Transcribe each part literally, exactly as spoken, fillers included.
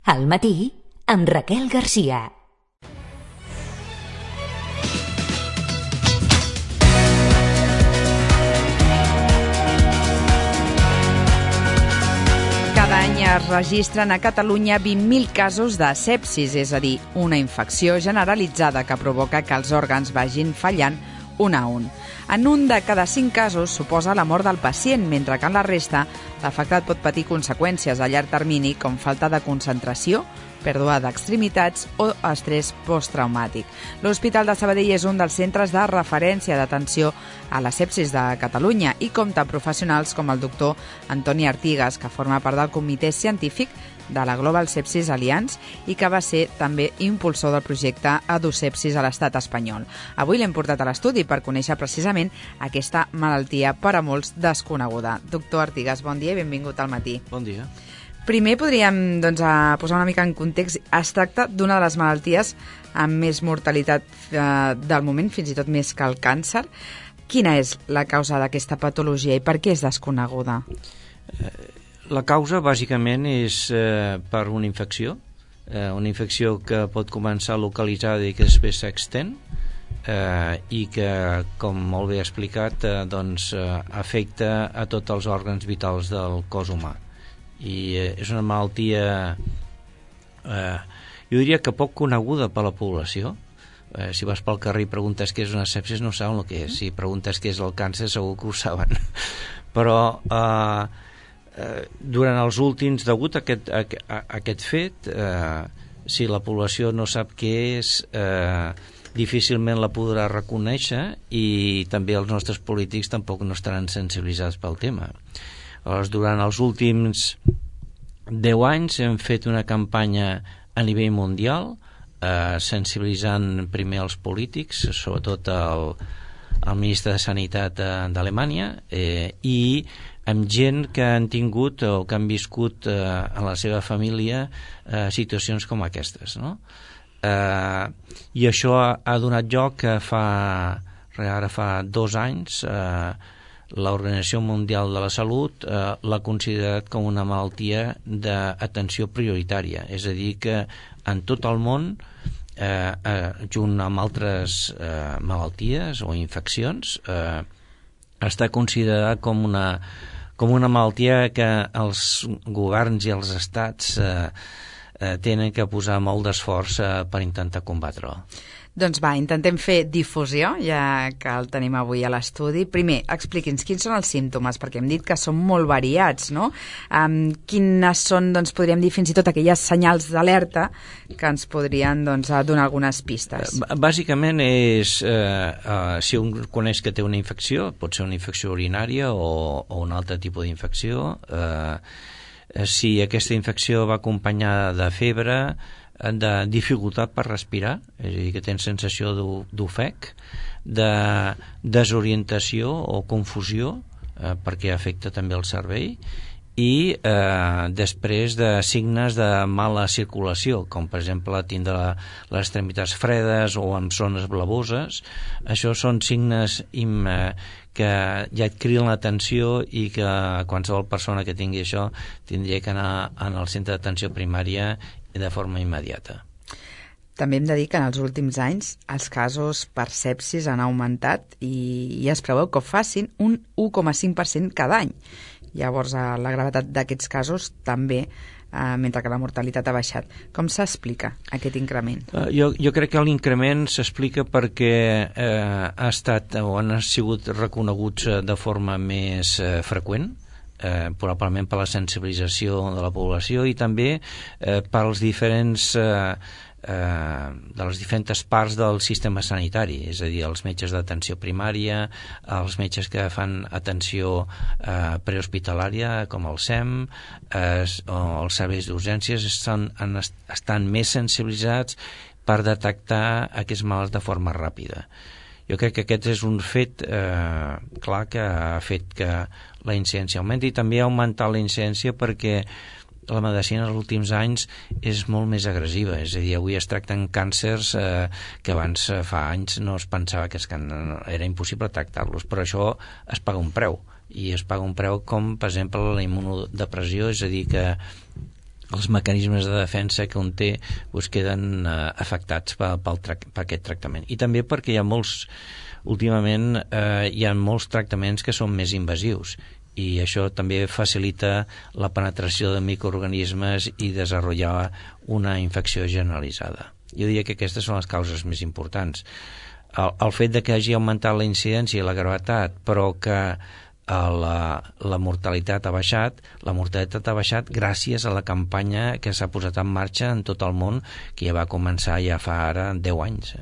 Al matí, amb Raquel Garcia. Cada any es registren a Catalunya vint mil casos de sepsis, és a dir, una infecció generalitzada que provoca que els òrgans vagin fallant un a un. En un de cada cinc casos suposa la mort del pacient, mentre que en la resta l'afectat pot patir conseqüències a llarg termini com falta de concentració, pèrdua d'extremitats o estrès posttraumàtic. L'Hospital de Sabadell és un dels centres de referència d'atenció a la sepsis de Catalunya i compta amb professionals com el doctor Antoni Artigas, que forma part del comitè científic de la Global Sepsis Alliance i que va ser també impulsor del projecte EduSepsis a l'estat espanyol. Avui l'hem portat a l'estudi per conèixer precisament aquesta malaltia per a molts desconeguda. Doctor Artigas, bon dia i benvingut al matí. Bon dia. Primer podríem doncs, posar una mica en context. Es tracta d'una de les malalties amb més mortalitat eh, del moment, fins i tot més que el càncer. Quina és la causa d'aquesta patologia i per què és desconeguda? La causa, bàsicament, és eh, per una infecció, eh, una infecció que pot començar localitzada i que després s'extén eh, i que, com molt bé explicat, eh, doncs, eh, afecta a tots els òrgans vitals del cos humà. I eh, és una malaltia, eh, jo diria que poc coneguda per la població. Eh, si vas pel carrer i preguntes què és una sepsis, no saben el que és. Si preguntes què és el càncer, segur que ho saben. Però eh, Eh, durant els últims, degut a aquest, a, a, a aquest fet, eh, si la població no sap què és, eh, difícilment la podrà reconèixer i també els nostres polítics tampoc no estaran sensibilitzats pel tema. Llavors, durant els últims deu anys hem fet una campanya a nivell mundial, eh, sensibilitzant primer els polítics, sobretot el, el ministre de Sanitat d'Alemanya, eh, i amb gent que han tingut o que han viscut eh, en la seva família eh, situacions com aquestes, no? Eh, I això ha, ha donat lloc que fa, ara fa dos anys, eh, l'Organització Mundial de la Salut eh, l'ha considerat com una malaltia d'atenció prioritària, és a dir, que en tot el món, eh, eh, junt amb altres eh, malalties o infeccions, eh, està considerada com una com una malaltia que els governs i els estats eh, eh, tenen que posar molt d'esforç eh, per intentar combatre-ho. Doncs va, intentem fer difusió, ja que el tenim avui a l'estudi. Primer, expliqui'ns quins són els símptomes, perquè hem dit que són molt variats, no? Um, quines són, doncs, podríem dir, fins i tot aquelles senyals d'alerta que ens podrien doncs, donar algunes pistes? Bàsicament és, eh, eh, si un coneix que té una infecció, pot ser una infecció urinària o, o un altre tipus d'infecció, eh, si aquesta infecció va acompanyada de febre, de dificultat per respirar, és a dir, que tens sensació d'ofec, de desorientació o confusió, eh, perquè afecta també el cervell, i eh, després de signes de mala circulació, com per exemple tindre les extremitats fredes o amb zones blavoses. Això són signes im, eh, que ja et criden l'atenció i que qualsevol persona que tingui això tindria que anar al centre d'atenció primària de forma immediata. També hem de dir que en els últims anys els casos per sepsis han augmentat i, i es preveu que ho facin un u coma cinc per cent cada any. Llavors, la gravetat d'aquests casos també, eh, mentre que la mortalitat ha baixat. Com s'explica aquest increment? Uh, jo, jo crec que l'increment s'explica perquè eh, ha estat o han sigut reconeguts de forma més eh, freqüent, Eh, probablement per la sensibilització de la població i també eh, pels diferents eh, eh, de les diferents parts del sistema sanitari, és a dir, els metges d'atenció primària, els metges que fan atenció eh, prehospitalària com el S E M eh, o els serveis d'urgències estan, estan més sensibilitzats per detectar aquests malalts de forma ràpida. Jo crec que aquest és un fet eh, clar que ha fet que la incidència augmenti i també ha augmentat la incidència perquè la medicina els últims anys és molt més agressiva, és a dir, avui es tracten càncers eh, que abans eh, fa anys no es pensava que es, era impossible tractar-los, però això es paga un preu i es paga un preu com per exemple la immunodepressió, és a dir que els mecanismes de defensa que un té doncs, queden eh, afectats per, per, per aquest tractament. I també perquè hi ha molts, últimament eh, hi ha molts tractaments que són més invasius, i això també facilita la penetració de microorganismes i desenvolupar una infecció generalitzada. Jo diria que aquestes són les causes més importants. El, el fet de que hagi augmentat la incidència i la gravetat, però que La, la mortalitat ha baixat, la mortalitat ha baixat gràcies a la campanya que s'ha posat en marxa en tot el món, que ja va començar ja fa ara deu anys.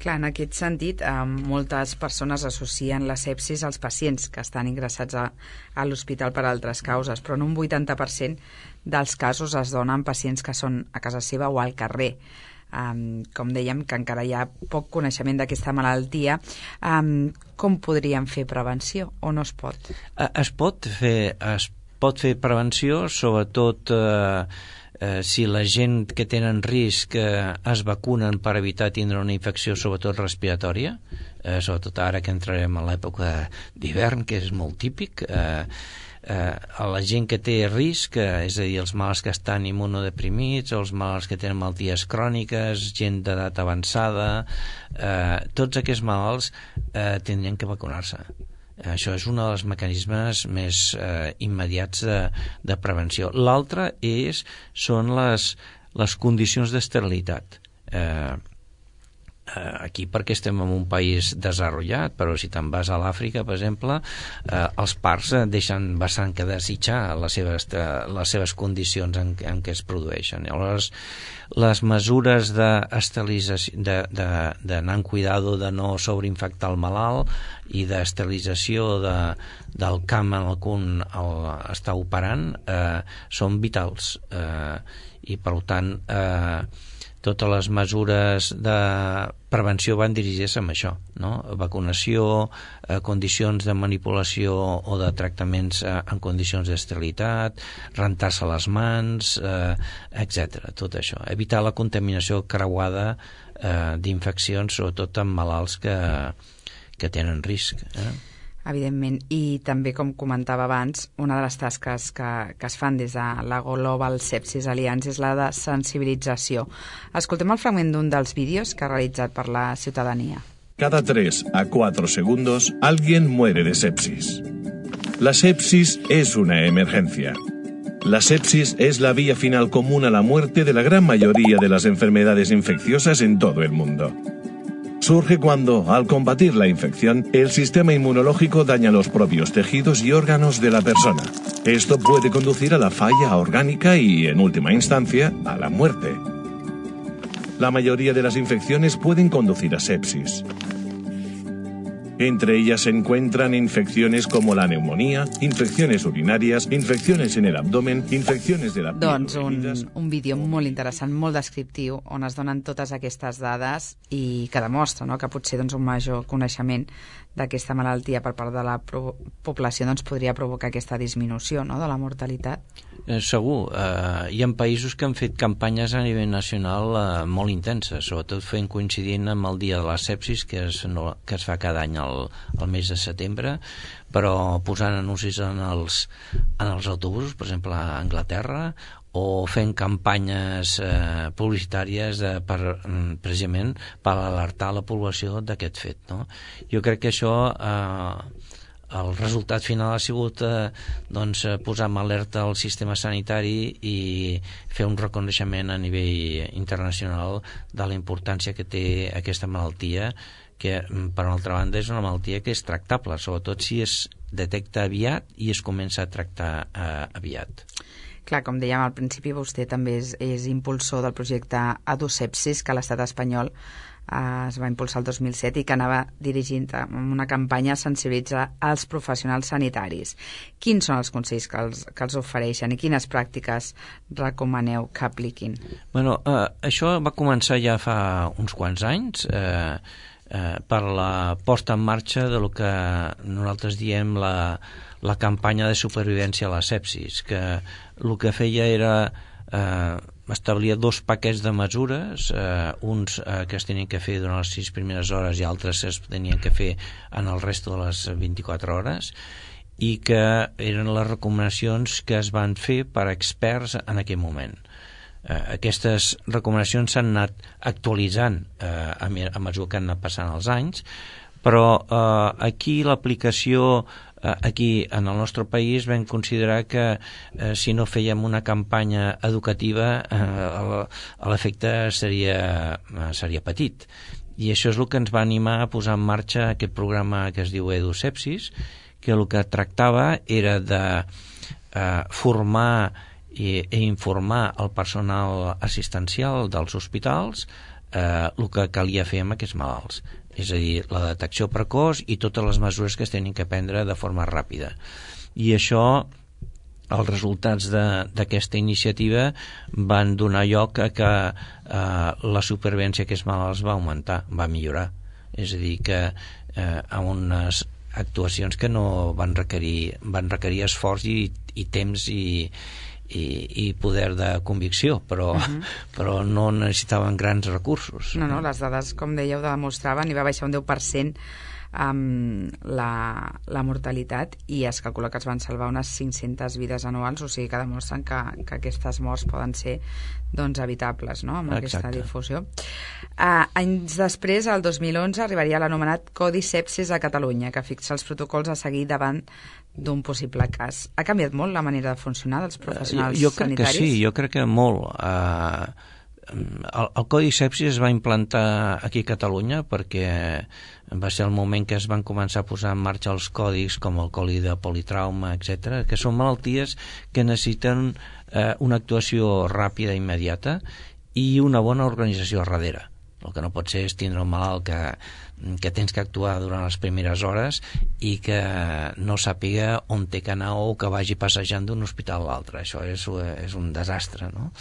Clar, en aquest sentit, eh, moltes persones associen la sepsis als pacients que estan ingressats a, a l'hospital per altres causes, però en un vuitanta per cent dels casos es donen pacients que són a casa seva o al carrer. Um, com dèiem, que encara hi ha poc coneixement d'aquesta malaltia. Um, com podríem fer prevenció o no es pot? Es pot fer, es pot fer prevenció, sobretot eh, eh, si la gent que tenen risc eh, es vacunen per evitar tindre una infecció, sobretot respiratòria, eh, sobretot ara que entrarem a l'època d'hivern, que és molt típic. Eh, Eh, a la gent que té risc, eh, és a dir, els malalts que estan immunodeprimits, els malalts que tenen malalties cròniques, gent d'edat avançada, eh, tots aquests malalts eh, tindrien que vacunar-se. Eh, això és un dels mecanismes més eh, immediats de, de prevenció. L'altre és, són les, les condicions d'esterilitat. Eh, aquí perquè estem en un país desenvolupat, però si te'n vas a l'Àfrica, per exemple, eh, els parcs deixen bastant que desitjar les seves, les seves condicions en, en què es produeixen. Llavors, les mesures d'esterilització, de, de, d'anar en cuidado de no sobreinfectar el malalt i d'esterilització de, del camp en el que un el, està operant eh, són vitals, eh, i per tant eh, totes les mesures de prevenció van dirigir-se amb això, no? Vacunació, eh, condicions de manipulació o de tractaments eh, en condicions d'esterilitat, rentar-se les mans, eh, etcètera. Tot això. Evitar la contaminació creuada eh, d'infeccions, sobretot amb malalts que, que tenen risc. Eh? Evidentment, i també, com comentava abans, una de les tasques que, que es fan des de la Global Sepsis Alliance és la de sensibilització. Escoltem el fragment d'un dels vídeos que ha realitzat per la ciutadania. Cada tres a cuatro segundos alguien muere de sepsis. La sepsis es una emergencia. La sepsis es la vía final común a la muerte de la gran mayoría de las enfermedades infecciosas en todo el mundo. Surge cuando, al combatir la infección, el sistema inmunológico daña los propios tejidos y órganos de la persona. Esto puede conducir a la falla orgánica y, en última instancia, a la muerte. La mayoría de las infecciones pueden conducir a sepsis. Entre ellas se encuentran infecciones como la neumonía, infecciones urinàries, infecciones en el abdomen, infecciones de la piel. Doncs un, un vídeo molt interessant, molt descriptiu, on es donen totes aquestes dades i que demostra, no?, que potser doncs, un major coneixement d'aquesta malaltia per part de la població doncs, podria provocar aquesta disminució, no?, de la mortalitat. Eh, segur. Eh, hi ha països que han fet campanyes a nivell nacional eh, molt intenses, sobretot fent coincidint amb el dia de la sepsis, que es, no, que es fa cada any al, al mes de setembre, però posant anuncis en els, en els autobusos, per exemple a Anglaterra, o fent campanyes eh, publicitàries de, per, precisament per alertar la població d'aquest fet, no? Jo crec que això eh, el resultat final ha sigut eh, doncs, posar en alerta el sistema sanitari i fer un reconeixement a nivell internacional de la importància que té aquesta malaltia, que per una altra banda és una malaltia que és tractable, sobretot si es detecta aviat i es comença a tractar eh, aviat. Clar, com dèiem al principi, vostè també és, és impulsor del projecte Adusepsis, que a l'estat espanyol eh, es va impulsar el dos mil set i que anava dirigint amb una campanya a sensibilitzar els professionals sanitaris. Quins són els consells que els, que els ofereixen i quines pràctiques recomaneu que apliquin? Bueno, eh, això va començar ja fa uns quants anys, eh, eh, per la posta en marxa de lo que nosaltres diem la, la campanya de supervivència a la sepsis, que el que feia era eh, establir dos paquets de mesures, eh, uns eh, que es tenien que fer durant les sis primeres hores i altres es tenien que fer en el resto de les vint-i-quatre hores, i que eren les recomanacions que es van fer per experts en aquell moment. Eh, aquestes recomanacions s'han anat actualitzant eh, a, a mesura que han anat passant els anys, però eh, aquí l'aplicació eh, aquí en el nostre país vam considerar que eh, si no fèiem una campanya educativa eh, l'efecte seria, seria petit, i això és el que ens va animar a posar en marxa aquest programa que es diu EduSepsis, que el que tractava era de eh, formar i, i informar el personal assistencial dels hospitals eh, el que calia fer amb aquests malalts, és a dir, la detecció precoç i totes les mesures que es tenen que prendre de forma ràpida. I això, els resultats d'aquesta iniciativa van donar lloc a que eh, la supervivència d'aquests malalts va augmentar, va millorar. És a dir, que eh, a unes actuacions que no van requerir, van requerir esforç i, i temps i, i, i poder de convicció, però, uh-huh. però no necessitaven grans recursos. No, no, les dades, com dèieu, demostraven i va baixar un deu per cent amb la, la mortalitat, i es calcula que es van salvar unes cinc-centes vides anuals, o sigui que demostren que, que aquestes morts poden ser doncs evitables, no?, amb Exacte. Aquesta difusió. Uh, anys després, el dos mil onze, arribaria l'anomenat Codi Sepsis a Catalunya, que fixa els protocols a seguir davant d'un possible cas. Ha canviat molt la manera de funcionar dels professionals uh, jo, jo crec sanitaris? Que sí, jo crec que molt. Uh, el, el Codi Sepsis es va implantar aquí a Catalunya perquè va ser el moment que es van començar a posar en marxa els codis com el codi de politrauma, etcètera, que són malalties que necessiten eh, una actuació ràpida i immediata i una bona organització darrere. El que no pot ser és tindre un malalt que, que tens que actuar durant les primeres hores i que no sàpiga on té que anar o que vagi passejant d'un hospital a l'altre. Això és, és un desastre, no?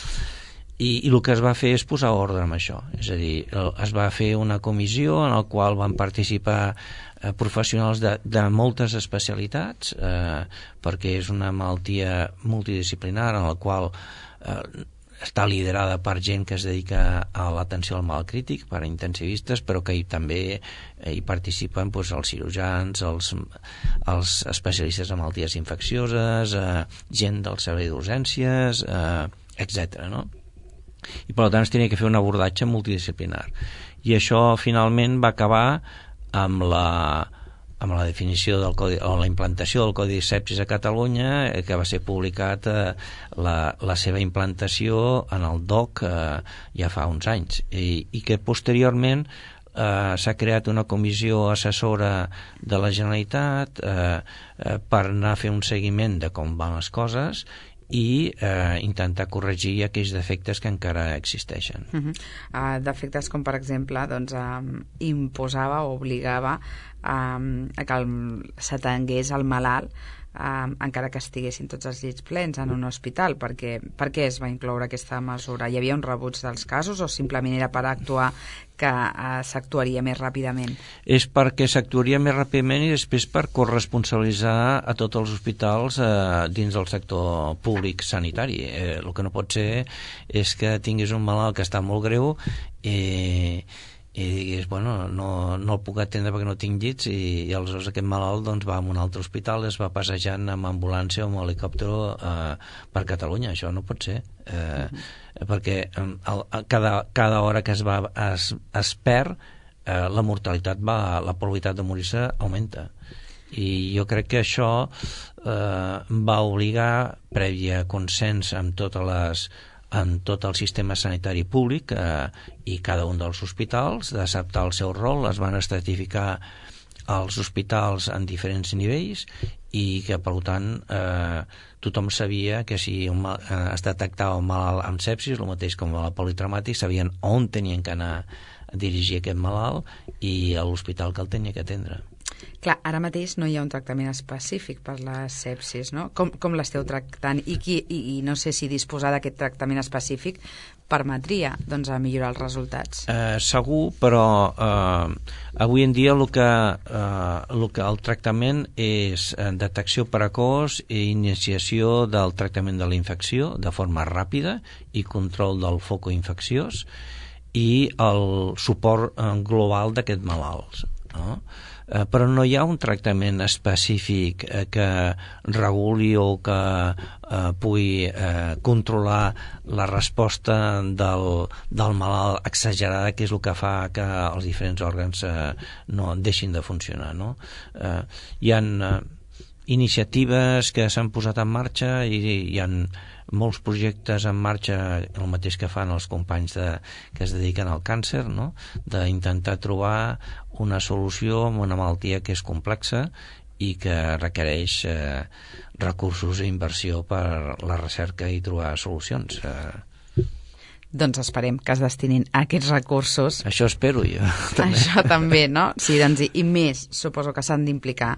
I, i el que es va fer és posar ordre amb això, és a dir, es va fer una comissió en la qual van participar eh, professionals de, de moltes especialitats, eh, perquè és una malaltia multidisciplinar en la qual eh, està liderada per gent que es dedica a l'atenció al mal crític, per intensivistes, però que hi, també eh, hi participen doncs, els cirurgians, els, els especialistes en malalties infeccioses, eh, gent del servei d'urgències, eh, etcètera, no? I per tant es tenia que fer un abordatge multidisciplinar, i això finalment va acabar amb la, amb la definició del codi, o la implantació del Codi Sepsis a Catalunya, eh, que va ser publicat eh, la, la seva implantació en el D O C eh, ja fa uns anys, i, i que posteriorment eh, s'ha creat una comissió assessora de la Generalitat eh, eh, per anar a fer un seguiment de com van les coses i eh, intentar corregir aquells defectes que encara existeixen. Uh-huh. Uh, defectes com, per exemple, doncs, um, imposava o obligava um, a que s'atengués el malalt um, encara que estiguessin tots els llits plens en un hospital. Perquè, per què es va incloure aquesta mesura? Hi havia un rebuig dels casos o simplement era per actuar que uh, s'actuaria més ràpidament? És perquè s'actuaria més ràpidament i després per corresponsabilitzar a tots els hospitals eh, dins del sector públic sanitari. Eh, el que no pot ser és que tinguis un malalt que està molt greu i, i diguis, bueno, no, no el puc atendre perquè no tinc llits, i, i aleshores aquest malalt doncs, va a un altre hospital, es va passejant amb ambulància o amb helicòpter eh, per Catalunya. Això no pot ser. Eh, uh-huh. Perquè el, cada, cada hora que es, va, es, es perd, eh, la mortalitat va, la probabilitat de morir-se augmenta. I jo crec que això eh, va obligar, prèvia consens amb totes les en tot el sistema sanitari públic eh, i cada un dels hospitals d'acceptar el seu rol. Es van estratificar els hospitals en diferents nivells i que, per tant, eh, tothom sabia que si un mal, eh, es detectava un malalt amb sepsis, el mateix com el politraumàtic, sabien on tenien que anar a dirigir aquest malalt i a l'hospital que el tenia que atendre. Clar, ara mateix no hi ha un tractament específic per la sepsis, no? Com, com l'esteu tractant? I, qui, i, I no sé si disposar d'aquest tractament específic permetria doncs, a millorar els resultats. Eh, segur, però eh, avui en dia el que, eh, el que el tractament és detecció precoç i iniciació del tractament de la infecció de forma ràpida i control del foco infecciós i el suport eh, global d'aquests malalts. no? Eh, però no hi ha un tractament específic eh, que reguli o que eh, pugui eh, controlar la resposta del, del malalt exagerada, que és el que fa que els diferents òrgans eh, no deixin de funcionar, no? Eh, hi ha eh, iniciatives que s'han posat en marxa i hi ha molts projectes en marxa, el mateix que fan els companys de, que es dediquen al càncer, no? D'intentar trobar una solució a una malaltia que és complexa i que requereix eh, recursos i inversió per la recerca i trobar solucions. Eh. Doncs esperem que es destinin a aquests recursos. Això espero jo. També. Això també, no? Sí, doncs, i, i més, suposo que s'han d'implicar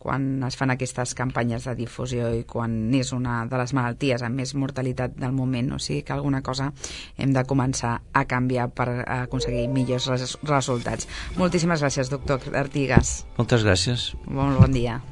quan es fan aquestes campanyes de difusió i quan és una de les malalties amb més mortalitat del moment, o sigui que alguna cosa hem de començar a canviar per aconseguir millors res resultats. Moltíssimes gràcies, doctor Artigas. Moltes gràcies. Molt bon dia.